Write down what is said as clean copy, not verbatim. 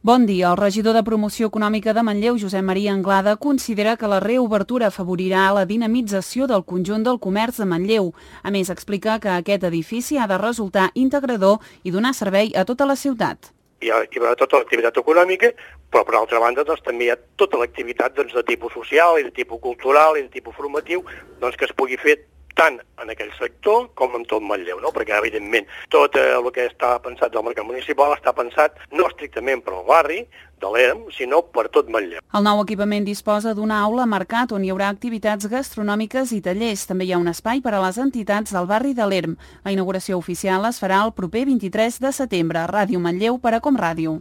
Bon dia. El regidor de Promoció Econòmica de Manlleu, Josep Maria Anglada, considera que la reobertura afavorirà la dinamització del conjunt del comerç de Manlleu. A més, explica que aquest edifici ha de resultar integrador i donar servei a tota la ciutat. Hi ha tota l'activitat econòmica, però per altra banda també hi ha tota l'activitat de tipus social i de tipus cultural i de tipus formatiu que es pugui fer tant en aquell sector com en tot Manlleu, no? Perquè, evidentment, tot el que està pensat del mercat municipal està pensat no estrictament per al barri de l'ERM, sinó per tot Manlleu. El nou equipament disposa d'una aula mercat on hi haurà activitats gastronòmiques i tallers. També hi ha un espai per a les entitats del barri de l'ERM. La inauguració oficial es farà el proper 23 de setembre. Ràdio Manlleu per a Com Ràdio.